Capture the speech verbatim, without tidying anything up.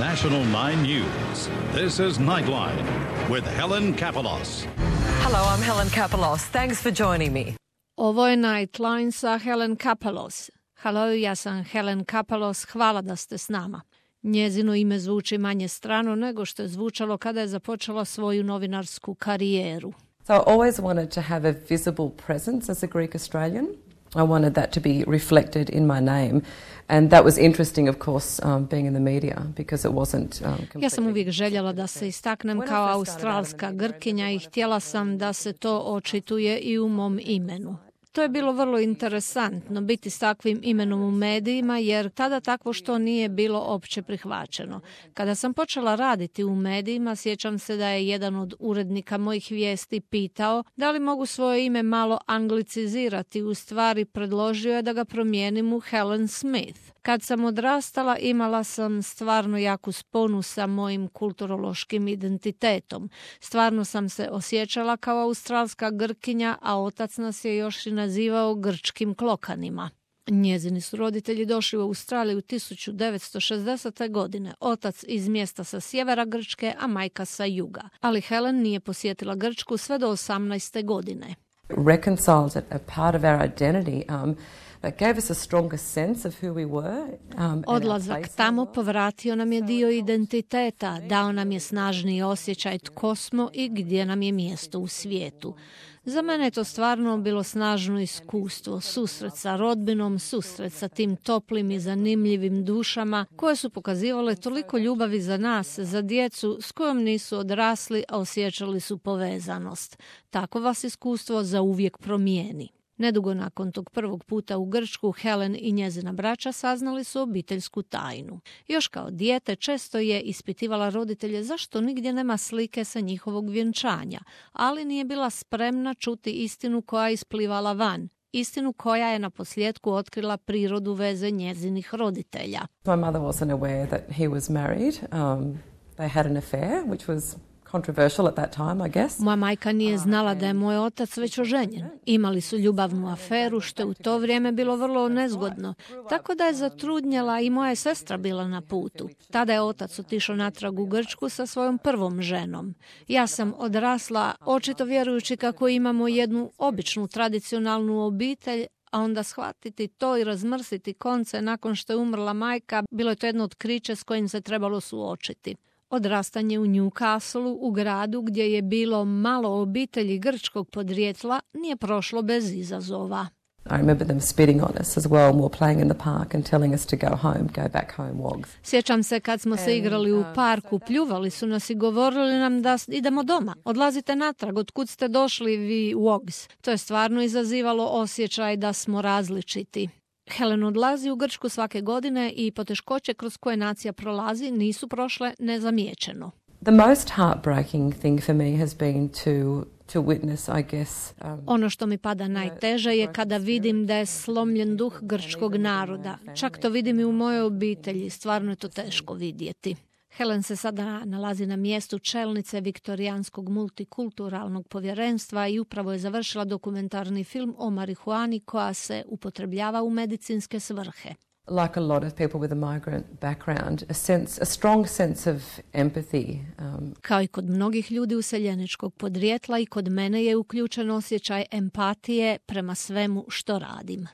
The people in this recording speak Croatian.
National nine News, this is Nightline with Helen Kapelos. Hello, I'm Helen Kapelos. Thanks for joining me. Ovo je Nightline sa Helen Kapelos. Hello, ja sam Helen Kapelos. Hvala da ste s nama. Njezino ime zvuči manje strano nego što je zvučalo kada je započela svoju novinarsku karijeru. So I always wanted to have a visible presence as a Greek Australian. I wanted that to be reflected in my name. And that was interesting, of course, um, being in the media, because it wasn't um, completely... Ja sam uvijek željela da se istaknem kao australska Grkinja i htjela sam da se to očituje i u mom imenu. To je bilo vrlo interesantno biti s takvim imenom u medijima, jer tada takvo što nije bilo opće prihvaćeno. Kada sam počela raditi u medijima, sjećam se da je jedan od urednika mojih vijesti pitao da li mogu svoje ime malo anglicizirati. U stvari predložio je da ga promijenim u Helen Smith. Kad sam odrastala, imala sam stvarno jaku sponu sa mojim kulturološkim identitetom. Stvarno sam se osjećala kao australska Grkinja, a otac nas je još i nazivao grčkim klokanima. Njezini su roditelji došli u Australiju tisuću devetsto šezdesete. godine, otac iz mjesta sa sjevera Grčke, a majka sa juga. Ali Helen nije posjetila Grčku sve do osamnaeste. godine. Reconciled a part of our identity, um, that gave us a stronger sense of who we were. Um, Odlazak tamo povratio nam je dio identiteta, dao nam je snažniji osjećaj tko smo i gdje nam je mjesto u svijetu. Za mene je to stvarno bilo snažno iskustvo, susret sa rodbinom, susret sa tim toplim i zanimljivim dušama koje su pokazivale toliko ljubavi za nas, za djecu s kojom nisu odrasli, a osjećali su povezanost. Tako vas iskustvo zauvijek promijeni. Nedugo nakon tog prvog puta u Grčku, Helen i njezina braća saznali su obiteljsku tajnu. Još kao dijete često je ispitivala roditelje zašto nigdje nema slike sa njihovog vjenčanja, ali nije bila spremna čuti istinu koja je isplivala van. Istinu koja je na posljedku otkrila prirodu veze njezinih roditelja. My mother wasn't aware that he was married. Um, they had an affair, which was controversial at that time, I guess. Moja majka nije znala da je moj otac već oženjen. Imali su ljubavnu aferu, što je u to vrijeme bilo vrlo nezgodno. Tako da je zatrudnjela i moja sestra bila na putu. Tada je otac otišao natrag u Grčku sa svojom prvom ženom. Ja sam odrasla, očito vjerujući kako imamo jednu običnu tradicionalnu obitelj, a onda shvatiti to i razmrsiti konce nakon što je umrla majka, bilo je to jedno otkriće s kojim se trebalo suočiti. Odrastanje u Newcastleu, u gradu gdje je bilo malo obitelji grčkog podrijetla, nije prošlo bez izazova. I remember them spitting on us as well when we were playing in the park and telling us to go home, go back home, wogs. Sjećam se kad smo se igrali u parku, pljuvali su nas i govorili nam da idemo doma. Odlazite natrag, otkud ste došli vi, wogs. To je stvarno izazivalo osjećaj da smo različiti. Helen odlazi u Grčku svake godine i poteškoće kroz koje nacija prolazi nisu prošle nezamijećeno. The most heartbreaking thing for me has been to to witness, I guess. Um, ono što mi pada najteže je kada vidim da je slomljen duh grčkog naroda. Čak to vidim i u mojoj obitelji, stvarno je to teško vidjeti. Helen se sada nalazi na mjestu čelnice Viktorijanskog multikulturalnog povjerenstva i upravo je završila dokumentarni film o marihuani koja se upotrebljava u medicinske svrhe. Like a lot of people with a migrant background, a sense, a strong sense of empathy. Um, Kao i kod mnogih ljudi useljeničkog podrijetla, i kod mene je uključen osjećaj empatije prema svemu što radim.